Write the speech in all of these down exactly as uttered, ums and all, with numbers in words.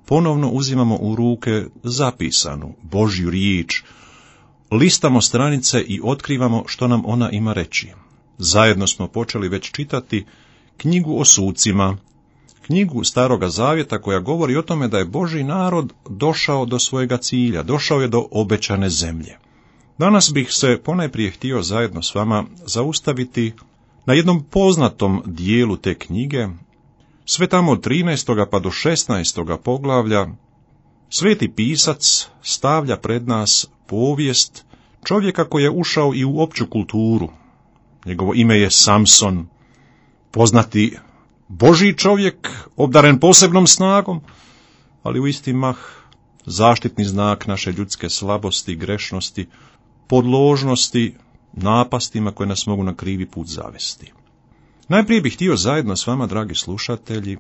ponovno uzimamo u ruke zapisanu Božju riječ, listamo stranice i otkrivamo što nam ona ima reći. Zajedno smo počeli već čitati knjigu o sucima, knjigu Staroga Zavjeta koja govori o tome da je Božji narod došao do svojega cilja, došao je do obećane zemlje. Danas bih se ponajprije htio zajedno s vama zaustaviti na jednom poznatom dijelu te knjige, sve tamo od trinaestoga pa do šesnaestoga poglavlja. Sveti pisac stavlja pred nas povijest čovjeka koji je ušao i u opću kulturu. Njegovo ime je Samson, poznati Božji čovjek, obdaren posebnom snagom, ali u isti mah zaštitni znak naše ljudske slabosti, grešnosti, podložnosti, napastima koje nas mogu na krivi put zavesti. Najprije bih htio zajedno s vama, dragi slušatelji,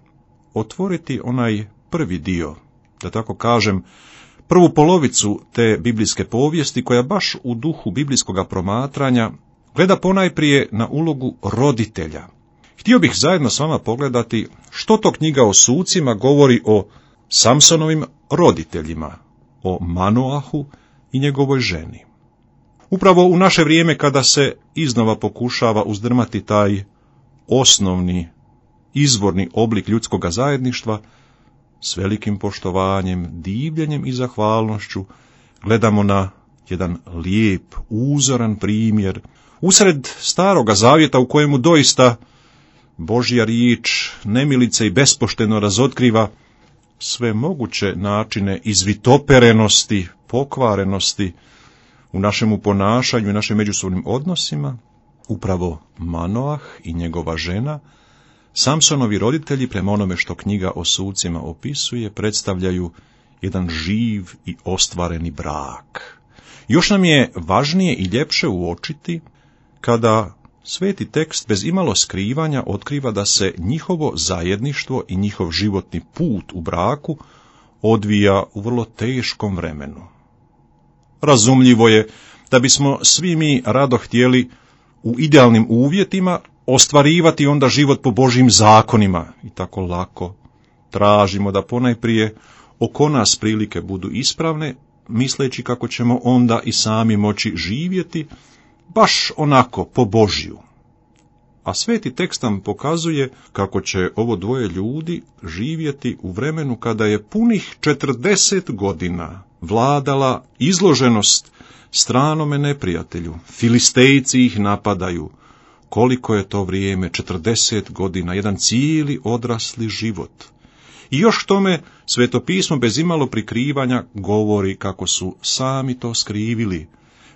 otvoriti onaj prvi dio, da tako kažem, prvu polovicu te biblijske povijesti, koja baš u duhu biblijskoga promatranja gleda ponajprije na ulogu roditelja. Htio bih zajedno s vama pogledati što to knjiga o sucima govori o Samsonovim roditeljima, o Manoahu i njegovoj ženi. Upravo u naše vrijeme kada se iznova pokušava uzdrmati taj osnovni, izvorni oblik ljudskoga zajedništva, s velikim poštovanjem, divljenjem i zahvalnošću gledamo na jedan lijep, uzoran primjer usred Staroga Zavjeta u kojemu doista Božja riječ nemilice i bespošteno razotkriva sve moguće načine izvitoperenosti, pokvarenosti u našemu ponašanju i našim međusobnim odnosima. Upravo Manoah i njegova žena, Samsonovi roditelji, prema onome što knjiga o sucima opisuje, predstavljaju jedan živ i ostvareni brak. Još nam je važnije i ljepše uočiti kada sveti tekst bez imalo skrivanja otkriva da se njihovo zajedništvo i njihov životni put u braku odvija u vrlo teškom vremenu. Razumljivo je da bismo svi mi rado htjeli u idealnim uvjetima ostvarivati onda život po Božjim zakonima i tako lako tražimo da ponajprije oko nas prilike budu ispravne, misleći kako ćemo onda i sami moći živjeti baš onako po Božju. A sveti tekst nam pokazuje kako će ovo dvoje ljudi živjeti u vremenu kada je punih četrdeset godina vladala izloženost stranome neprijatelju. Filistejci ih napadaju. Koliko je to vrijeme, četrdeset godina, jedan cijeli odrasli život. I još tome Sveto pismo bez imalo prikrivanja govori kako su sami to skrivili.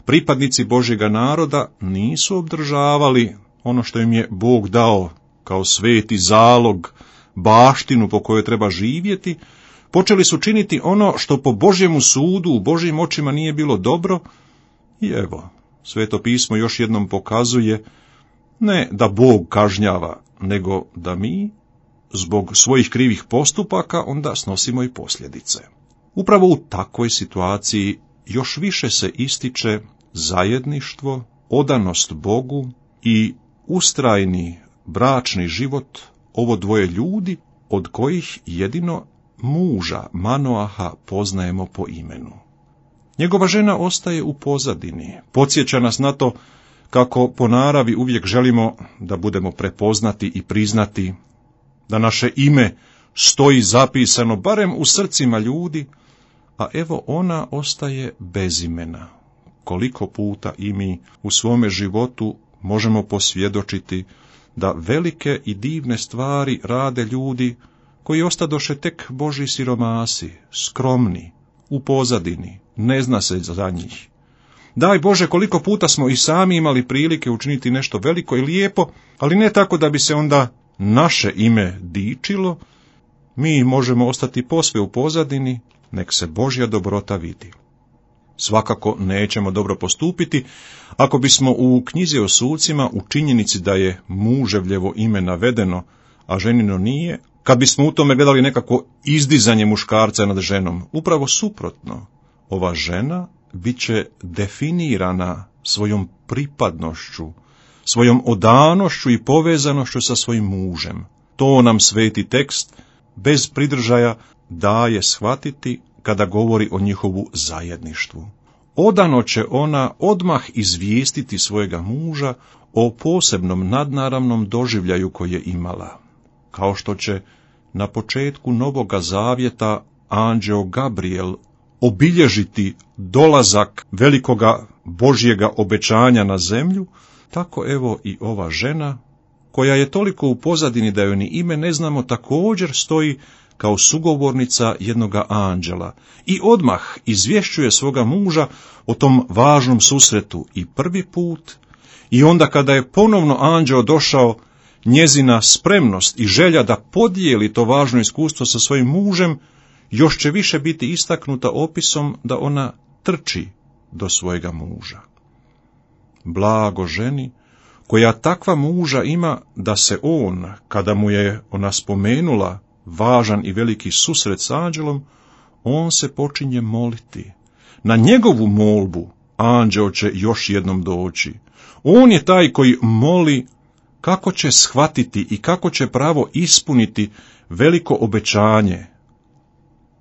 Pripadnici Božjega naroda nisu obdržavali ono što im je Bog dao kao sveti zalog, baštinu po kojoj treba živjeti, počeli su činiti ono što po Božjemu sudu u Božjim očima nije bilo dobro. I evo, Sveto pismo još jednom pokazuje ne da Bog kažnjava, nego da mi zbog svojih krivih postupaka onda snosimo i posljedice. Upravo u takvoj situaciji još više se ističe zajedništvo, odanost Bogu i ustrajni bračni život ovo dvoje ljudi, od kojih jedino muža Manoaha poznajemo po imenu. Njegova žena ostaje u pozadini, podsjeća nas na to kako po naravi uvijek želimo da budemo prepoznati i priznati, da naše ime stoji zapisano barem u srcima ljudi, a evo ona ostaje bez imena. Koliko puta i mi u svome životu možemo posvjedočiti da velike i divne stvari rade ljudi koji ostadoše tek Božji siromasi, skromni, u pozadini, ne zna se za njih. Daj Bože, koliko puta smo i sami imali prilike učiniti nešto veliko i lijepo, ali ne tako da bi se onda naše ime dičilo. Mi možemo ostati posve u pozadini, nek se Božja dobrota vidi. Svakako nećemo dobro postupiti ako bismo u knjizi o sucima u činjenici da je muževljevo ime navedeno, a ženino nije, kad bismo u tome gledali nekako izdizanje muškarca nad ženom. Upravo suprotno, ova žena bit će definirana svojom pripadnošću, svojom odanošću i povezanošću sa svojim mužem. To nam sveti tekst bez pridržaja daje shvatiti kada govori o njihovu zajedništvu. Odano će ona odmah izvijestiti svojega muža o posebnom nadnaravnom doživljaju koje je imala, kao što će na početku Novoga Zavjeta anđeo Gabriel obilježiti dolazak velikoga Božjega obećanja na zemlju, tako evo i ova žena, koja je toliko u pozadini da joj ni ime ne znamo, također stoji kao sugovornica jednoga anđela i odmah izvješćuje svoga muža o tom važnom susretu i prvi put, i onda kada je ponovno anđeo došao, njezina spremnost i želja da podijeli to važno iskustvo sa svojim mužem još će više biti istaknuta opisom da ona trči do svojega muža. Blago ženi koja takva muža ima da se on, kada mu je ona spomenula važan i veliki susret s anđelom, on se počinje moliti. Na njegovu molbu anđeo će još jednom doći. On je taj koji moli kako će shvatiti i kako će pravo ispuniti veliko obećanje.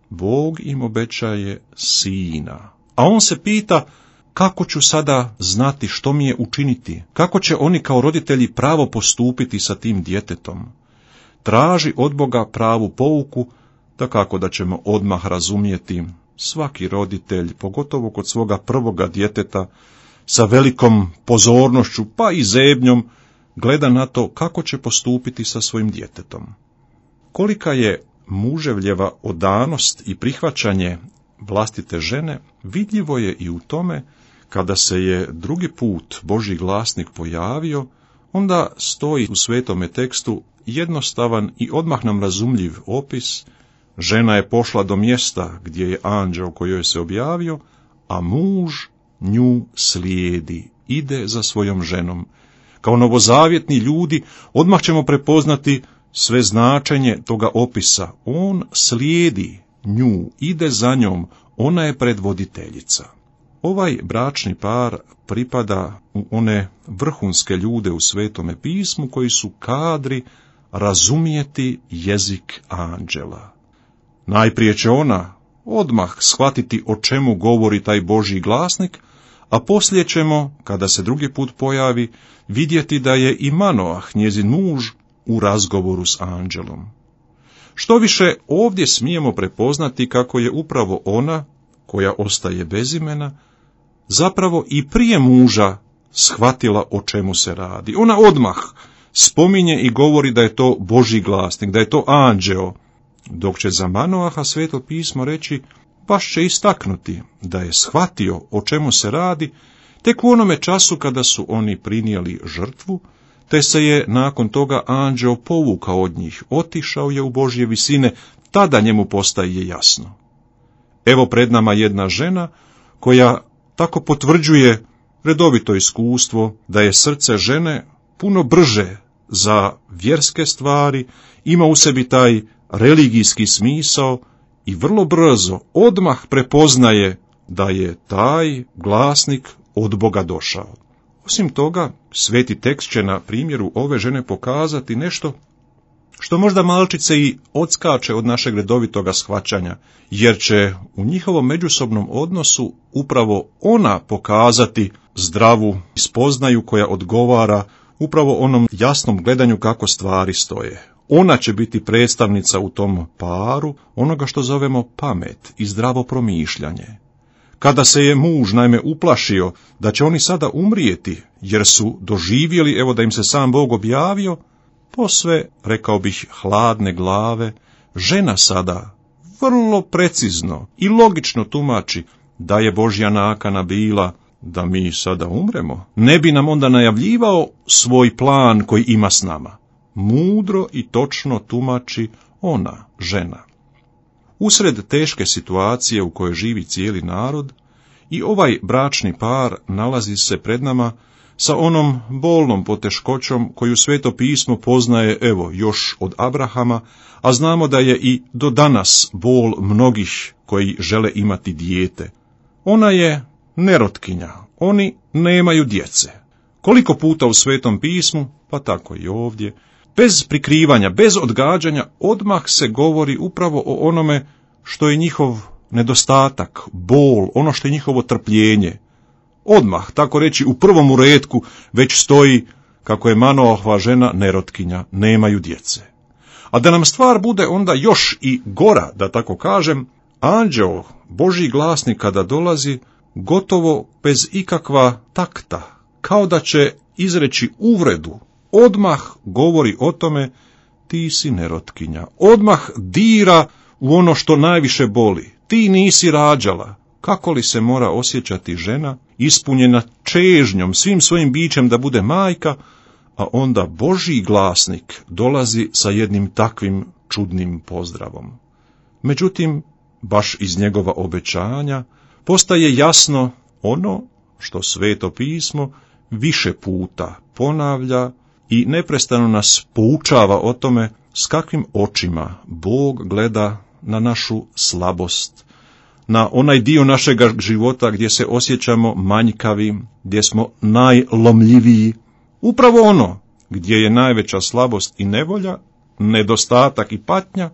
Bog im obećaje sina, a on se pita kako ću sada znati što mi je učiniti, kako će oni kao roditelji pravo postupiti sa tim djetetom. Traži od Boga pravu pouku, da kako da ćemo odmah razumjeti, svaki roditelj, pogotovo kod svoga prvoga djeteta, sa velikom pozornošću pa i zebnjom gleda na to kako će postupiti sa svojim djetetom. Kolika je muževljeva odanost i prihvaćanje vlastite žene vidljivo je i u tome kada se je drugi put Božji glasnik pojavio, onda stoji u svetome tekstu jednostavan i odmah nam razumljiv opis. Žena je pošla do mjesta gdje je anđeo kojoj se objavio, a muž nju slijedi, ide za svojom ženom. Kao novozavjetni ljudi odmah ćemo prepoznati sve značenje toga opisa. On slijedi nju, ide za njom, ona je predvoditeljica. Ovaj bračni par pripada u one vrhunske ljude u Svetome pismu koji su kadri razumijeti jezik anđela. Najprije će ona odmah shvatiti o čemu govori taj Božji glasnik, a poslije ćemo, kada se drugi put pojavi, vidjeti da je i Manoah, njezin muž, u razgovoru s anđelom. Što više, ovdje smijemo prepoznati kako je upravo ona, koja ostaje bez imena, zapravo i prije muža shvatila o čemu se radi. Ona odmah spominje i govori da je to Božji glasnik, da je to anđeo, dok će za Manoaha Sveto pismo reći, baš će istaknuti da je shvatio o čemu se radi tek u onome času kada su oni prinijeli žrtvu, te se je nakon toga anđeo povukao od njih, otišao je u Božje visine, tada njemu postaje jasno. Evo pred nama jedna žena koja tako potvrđuje redovito iskustvo da je srce žene puno brže za vjerske stvari, ima u sebi taj religijski smisao i vrlo brzo odmah prepoznaje da je taj glasnik od Boga došao. Osim toga, sveti tekst će na primjeru ove žene pokazati nešto što možda malčice i odskače od našeg redovitoga shvaćanja, jer će u njihovom međusobnom odnosu upravo ona pokazati zdravu spoznaju koja odgovara upravo onom jasnom gledanju kako stvari stoje. Ona će biti predstavnica u tom paru onoga što zovemo pamet i zdravo promišljanje. Kada se je muž naime uplašio da će oni sada umrijeti, jer su doživjeli, evo da im se sam Bog objavio, posve, rekao bih, hladne glave, žena sada vrlo precizno i logično tumači da je Božja nakana bila da mi sada umremo. Ne bi nam onda najavljivao svoj plan koji ima s nama. Mudro i točno tumači ona, žena. Usred teške situacije u kojoj živi cijeli narod, i ovaj bračni par nalazi se pred nama sa onom bolnom poteškoćom koju Sveto pismo poznaje, evo, još od Abrahama, a znamo da je i do danas bol mnogih koji žele imati dijete. Ona je nerotkinja, oni nemaju djece. Koliko puta u Svetom pismu, pa tako i ovdje, bez prikrivanja, bez odgađanja, odmah se govori upravo o onome što je njihov nedostatak, bol, ono što je njihovo trpljenje. Odmah, tako reći, u prvom uretku već stoji kako je Manoahova žena nerotkinja, nemaju djece. A da nam stvar bude onda još i gora, da tako kažem, anđeo, Božji glasnik kada dolazi, gotovo bez ikakva takta, kao da će izreći uvredu, odmah govori o tome, ti si nerotkinja, odmah dira u ono što najviše boli, ti nisi rađala. Kako li se mora osjećati žena, ispunjena čežnjom, svim svojim bićem da bude majka, a onda Božji glasnik dolazi sa jednim takvim čudnim pozdravom. Međutim, baš iz njegova obećanja postaje jasno ono što Sveto pismo više puta ponavlja i neprestano nas poučava o tome s kakvim očima Bog gleda na našu slabost, na onaj dio našega života gdje se osjećamo manjkavim, gdje smo najlomljiviji, upravo ono gdje je najveća slabost i nevolja, nedostatak i patnja,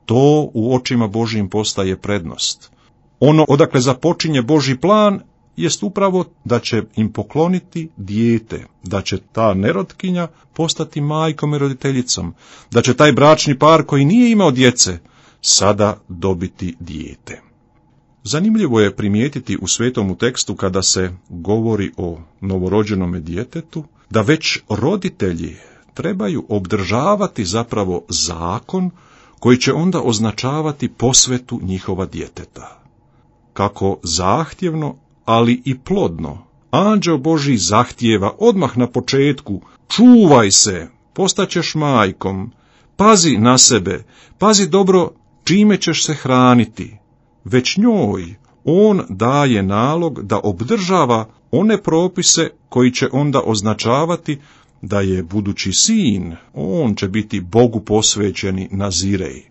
to u očima Božjim postaje prednost. Ono odakle započinje Božji plan jest upravo da će im pokloniti dijete, da će ta nerotkinja postati majkom i roditeljicom, da će taj bračni par koji nije imao djece sada dobiti dijete. Zanimljivo je primijetiti u svetomu tekstu kada se govori o novorođenome djetetu, da već roditelji trebaju obdržavati zapravo zakon koji će onda označavati posvetu njihova djeteta. Kako zahtjevno, ali i plodno, anđeo Božji zahtijeva odmah na početku, čuvaj se, postaćeš majkom, pazi na sebe, pazi dobro čime ćeš se hraniti. Već njoj on daje nalog da obdržava one propise koji će onda označavati da je budući sin, on će biti Bogu posvećeni nazirej.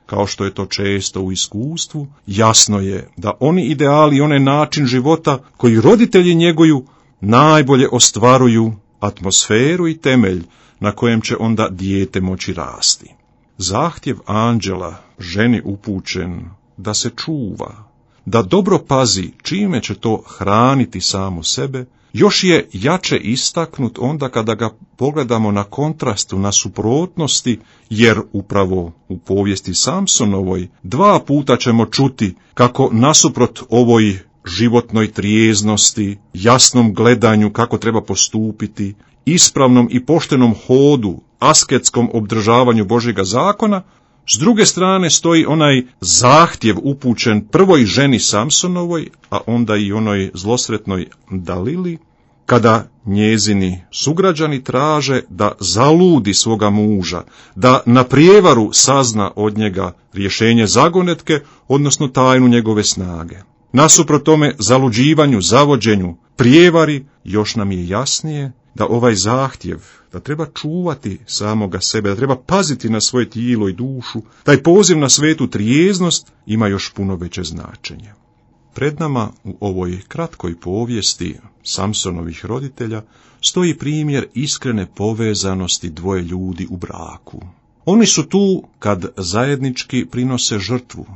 Kao što je to često u iskustvu, jasno je da oni ideali i onaj način života koji roditelji njeguju najbolje ostvaruju atmosferu i temelj na kojem će onda dijete moći rasti. Zahtjev anđela ženi upućen da se čuva, da dobro pazi čime će to hraniti samo sebe, još je jače istaknut onda kada ga pogledamo na kontrastu, na suprotnosti, jer upravo u povijesti Samsonovoj dva puta ćemo čuti kako nasuprot ovoj životnoj trijeznosti, jasnom gledanju kako treba postupiti, ispravnom i poštenom hodu, asketskom obdržavanju Božjega zakona, s druge strane stoji onaj zahtjev upućen prvoj ženi Samsonovoj, a onda i onoj zlosretnoj Dalili, kada njezini sugrađani traže da zaludi svoga muža, da na prijevaru sazna od njega rješenje zagonetke, odnosno tajnu njegove snage. Nasuprot tome zaluđivanju, zavođenju, prijevari, još nam je jasnije da ovaj zahtjev, da treba čuvati samoga sebe, da treba paziti na svoje tijelo i dušu, taj poziv na svetu trijeznost ima još puno veće značenje. Pred nama u ovoj kratkoj povijesti Samsonovih roditelja stoji primjer iskrene povezanosti dvoje ljudi u braku. Oni su tu kad zajednički prinose žrtvu.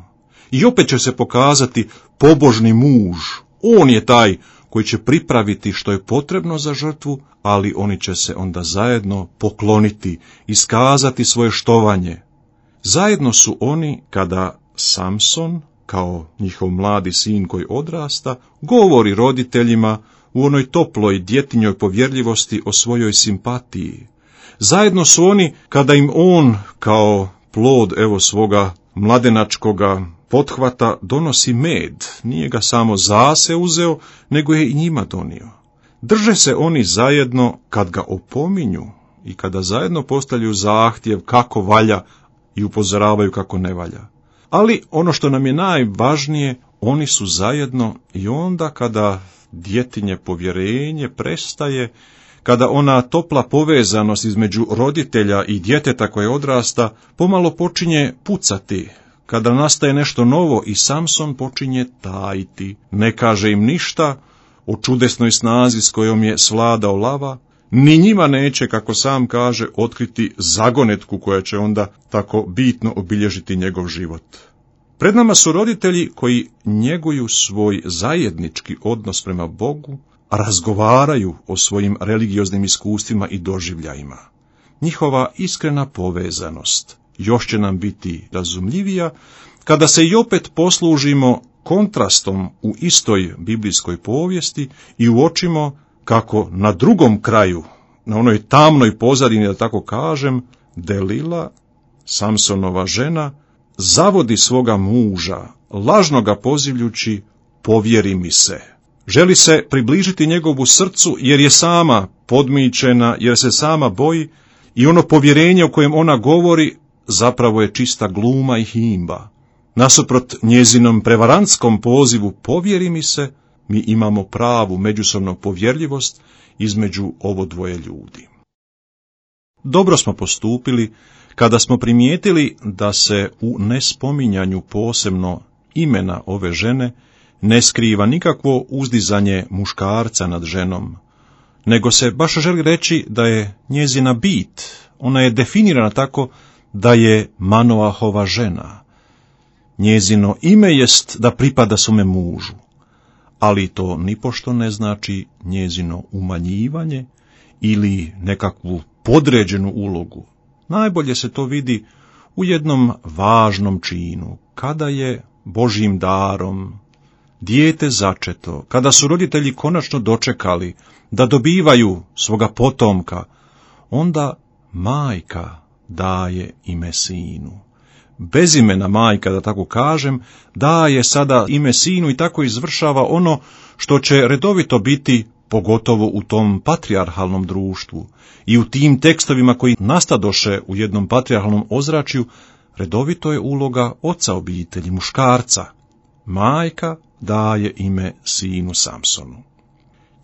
I opet će se pokazati pobožni muž. On je taj koji će pripraviti što je potrebno za žrtvu, ali oni će se onda zajedno pokloniti, iskazati svoje štovanje. Zajedno su oni kada Samson, kao njihov mladi sin koji odrasta, govori roditeljima u onoj toploj djetinjoj povjerljivosti o svojoj simpatiji. Zajedno su oni kada im on, kao plod evo svoga mladenačkoga pothvata, donosi med. Nije ga samo za se uzeo, nego je i njima donio. Drže se oni zajedno kad ga opominju i kada zajedno postavljaju zahtjev kako valja i upozoravaju kako ne valja. Ali ono što nam je najvažnije, oni su zajedno i onda kada djetinje povjerenje prestaje, kada ona topla povezanost između roditelja i djeteta koje odrasta pomalo počinje pucati, kada nastaje nešto novo i Samson počinje tajiti, ne kaže im ništa o čudesnoj snazi s kojom je svladao lava, ni njima neće, kako sam kaže, otkriti zagonetku koja će onda tako bitno obilježiti njegov život. Pred nama su roditelji koji njeguju svoj zajednički odnos prema Bogu, razgovaraju o svojim religioznim iskustvima i doživljajima. Njihova iskrena povezanost još će nam biti razumljivija kada se i opet poslužimo kontrastom u istoj biblijskoj povijesti i uočimo kako na drugom kraju, na onoj tamnoj pozadini, da tako kažem, Delila, Samsonova žena, zavodi svoga muža, lažno ga pozivljući, povjeri mi se. Želi se približiti njegovu srcu jer je sama podmićena, jer se sama boji i ono povjerenje o kojem ona govori zapravo je čista gluma i himba. Nasuprot njezinom prevarantskom pozivu povjeri mi se, mi imamo pravu međusobnu povjerljivost između ovo dvoje ljudi. Dobro smo postupili kada smo primijetili da se u nespominjanju posebno imena ove žene ne skriva nikakvo uzdizanje muškarca nad ženom, nego se baš želi reći da je njezina bit, ona je definirana tako da je Manoahova žena. Njezino ime jest da pripada svome mužu, ali to nipošto ne znači njezino umanjivanje ili nekakvu podređenu ulogu. Najbolje se to vidi u jednom važnom činu, kada je Božjim darom dijete začeto, kada su roditelji konačno dočekali da dobivaju svoga potomka, onda majka daje ime sinu. Bezimena majka, da tako kažem, daje sada ime sinu i tako izvršava ono što će redovito biti, pogotovo u tom patrijarhalnom društvu i u tim tekstovima koji nastadoše u jednom patrijarhalnom ozračju, redovito je uloga oca obitelji, muškarca. Majka daje ime sinu Samsonu.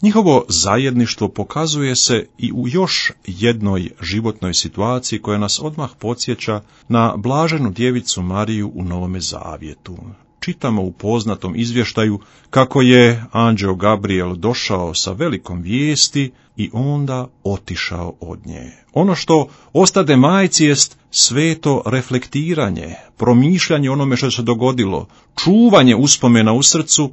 Njihovo zajedništvo pokazuje se i u još jednoj životnoj situaciji koja nas odmah podsjeća na blaženu djevicu Mariju u Novome Zavjetu. Čitamo u poznatom izvještaju kako je anđeo Gabriel došao sa velikom vijesti i onda otišao od nje. Ono što ostade majci jest sveto reflektiranje, promišljanje onome što se dogodilo, čuvanje uspomena u srcu,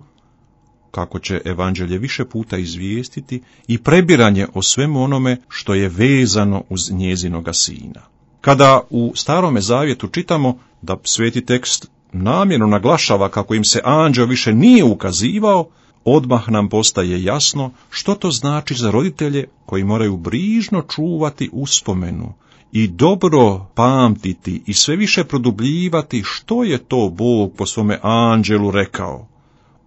kako će evanđelje više puta izvijestiti, i prebiranje o svemu onome što je vezano uz njezinoga sina. Kada u Starome Zavjetu čitamo da sveti tekst namjerno naglašava kako im se anđeo više nije ukazivao, odmah nam postaje jasno što to znači za roditelje koji moraju brižno čuvati uspomenu i dobro pamtiti i sve više produbljivati što je to Bog po svome anđelu rekao.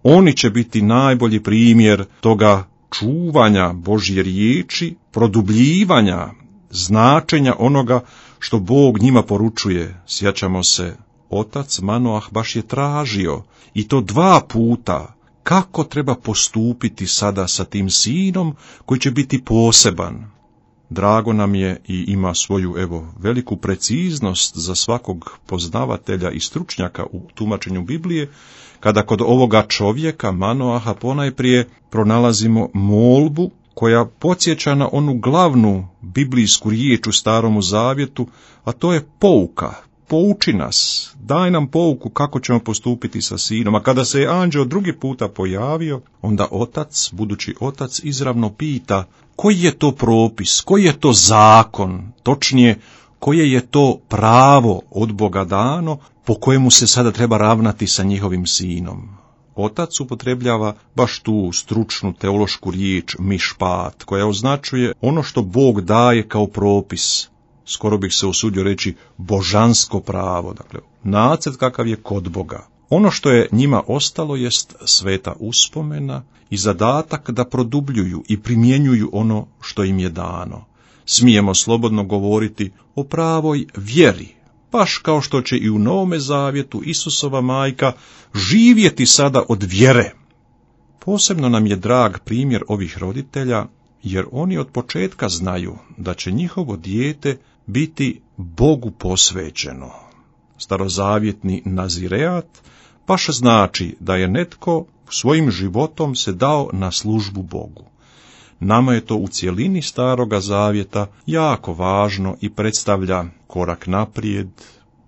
Oni će biti najbolji primjer toga čuvanja Božje riječi, produbljivanja značenja onoga što Bog njima poručuje. Sjećamo se, otac Manoah baš je tražio, i to dva puta, kako treba postupiti sada sa tim sinom koji će biti poseban. Drago nam je i ima svoju, evo, veliku preciznost za svakog poznavatelja i stručnjaka u tumačenju Biblije, kada kod ovoga čovjeka, Manoaha, ponajprije pronalazimo molbu koja podsjeća na onu glavnu biblijsku riječ u Staromu Zavjetu, a to je pouka. Pouči nas, daj nam pouku kako ćemo postupiti sa sinom. A kada se je anđeo drugi puta pojavio, onda otac, budući otac, izravno pita koji je to propis, koji je to zakon, točnije, koje je to pravo od Boga dano po kojemu se sada treba ravnati sa njihovim sinom. Otac upotrebljava baš tu stručnu teološku riječ mišpat, koja označuje ono što Bog daje kao propis. Skoro bih se usudio reći božansko pravo, dakle nacrt kakav je kod Boga. Ono što je njima ostalo jest sveta uspomena i zadatak da produbljuju i primjenjuju ono što im je dano. Smijemo slobodno govoriti o pravoj vjeri, baš kao što će i u Novome Zavjetu Isusova majka živjeti sada od vjere. Posebno nam je drag primjer ovih roditelja, jer oni od početka znaju da će njihovo dijete biti Bogu posvećeno. Starozavjetni nazireat baš znači da je netko svojim životom se dao na službu Bogu. Nama je to u cjelini Staroga Zavjeta jako važno i predstavlja korak naprijed,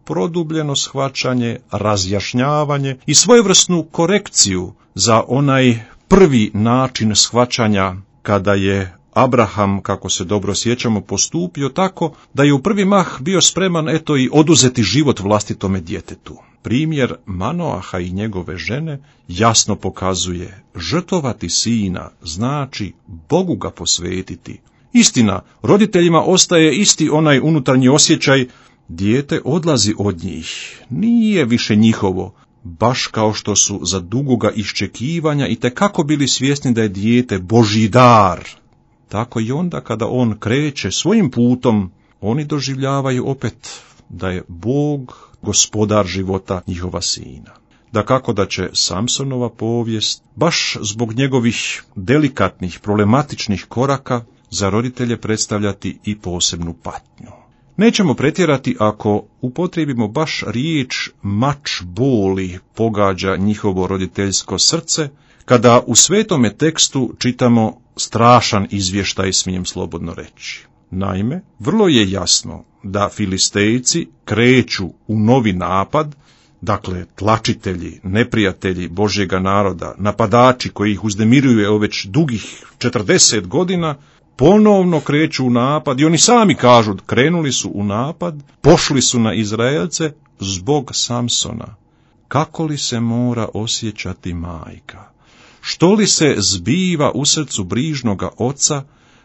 produbljeno shvaćanje, razjašnjavanje i svojevrsnu korekciju za onaj prvi način shvaćanja kada je Abraham, kako se dobro sjećamo, postupio tako da je u prvi mah bio spreman eto i oduzeti život vlastitome djetetu. Primjer Manoaha i njegove žene jasno pokazuje, žrtvovati sina znači Bogu ga posvetiti. Istina, roditeljima ostaje isti onaj unutarnji osjećaj, dijete odlazi od njih, nije više njihovo, baš kao što su za dugoga iščekivanja i tekako bili svjesni da je dijete Božji dar. Tako i onda kada on kreće svojim putom, oni doživljavaju opet da je Bog gospodar života njihova sina. Dakako da će Samsonova povijest, baš zbog njegovih delikatnih, problematičnih koraka, za roditelje predstavljati i posebnu patnju. Nećemo pretjerati ako upotrijebimo baš riječ mač boli pogađa njihovo roditeljsko srce, kada u svetome tekstu čitamo strašan izvještaj, smijem slobodno reći. Naime, vrlo je jasno da Filistejci kreću u novi napad, dakle tlačitelji, neprijatelji Božjega naroda, napadači koji ih uznemiruju evo već dugih četrdeset godina, ponovno kreću u napad i oni sami kažu, krenuli su u napad, pošli su na Izraelce zbog Samsona. Kako li se mora osjećati majka? Što li se zbiva u srcu brižnoga oca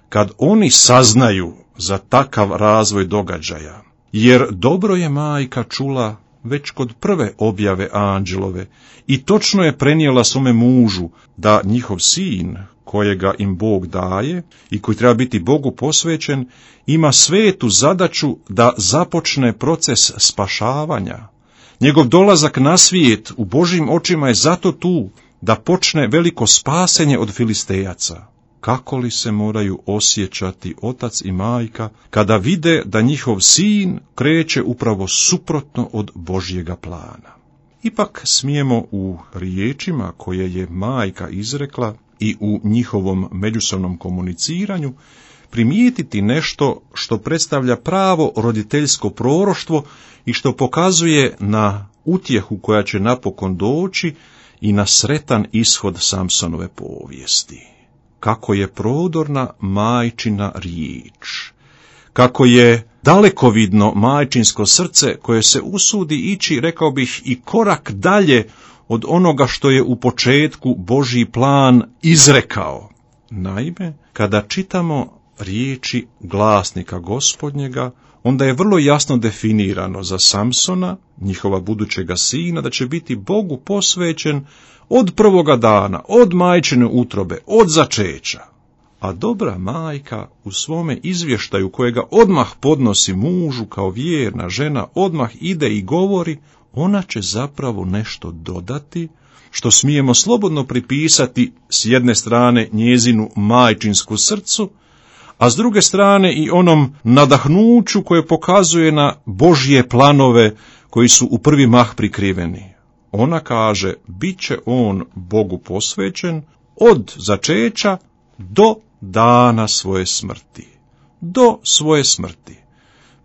kad oni saznaju za takav razvoj događaja? Jer dobro je majka čula već kod prve objave anđelove i točno je prenijela svome mužu da njihov sin, kojega im Bog daje i koji treba biti Bogu posvećen, ima svetu zadaću da započne proces spašavanja. Njegov dolazak na svijet u Božjim očima je zato tu da počne veliko spasenje od Filistejaca. Kako li se moraju osjećati otac i majka kada vide da njihov sin kreće upravo suprotno od Božjega plana? Ipak smijemo u riječima koje je majka izrekla i u njihovom međusobnom komuniciranju primijetiti nešto što predstavlja pravo roditeljsko proroštvo i što pokazuje na utjehu koja će napokon doći i na sretan ishod Samsonove povijesti. Kako je prodorna majčina riječ, kako je dalekovidno majčinsko srce koje se usudi ići, rekao bih, i korak dalje od onoga što je u početku Božji plan izrekao. Naime, kada čitamo riječi glasnika Gospodnjega, onda je vrlo jasno definirano za Samsona, njihova budućega sina, da će biti Bogu posvećen od prvoga dana, od majčine utrobe, od začeća. A dobra majka u svome izvještaju, kojega odmah podnosi mužu kao vjerna žena, odmah ide i govori, ona će zapravo nešto dodati, što smijemo slobodno pripisati s jedne strane njezinu majčinsku srcu, a s druge strane i onom nadahnuću koje pokazuje na Božje planove koji su u prvi mah prikriveni. Ona kaže, bit će on Bogu posvećen od začeća do dana svoje smrti. Do svoje smrti.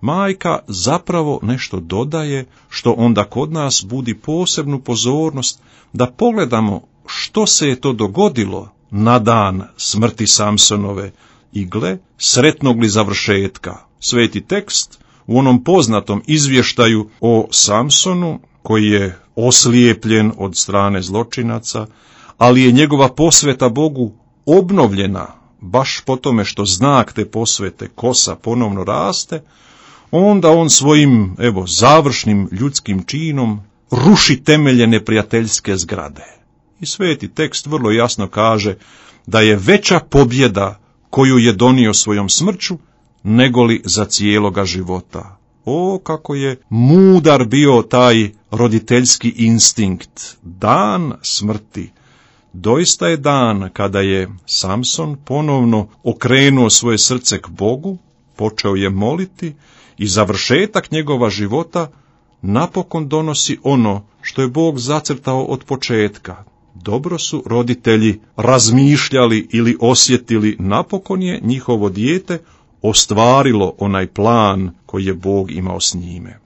Majka zapravo nešto dodaje, što onda kod nas budi posebnu pozornost da pogledamo što se je to dogodilo na dan smrti Samsonove i gle, sretnog li završetka. Sveti tekst u onom poznatom izvještaju o Samsonu, koji je oslijepljen od strane zločinaca, ali je njegova posveta Bogu obnovljena, baš po tome što znak te posvete kosa ponovno raste, onda on svojim, evo, završnim ljudskim činom ruši temelje neprijateljske zgrade. I sveti tekst vrlo jasno kaže da je veća pobjeda koju je donio svojom smrću, negoli za cijeloga života. O, kako je mudar bio taj roditeljski instinkt. Dan smrti. Doista je dan kada je Samson ponovno okrenuo svoje srce k Bogu, počeo je moliti i završetak njegova života napokon donosi ono što je Bog zacrtao od početka. dobro su roditelji razmišljali ili osjetili, napokon je njihovo dijete ostvarilo onaj plan koji je Bog imao s njime.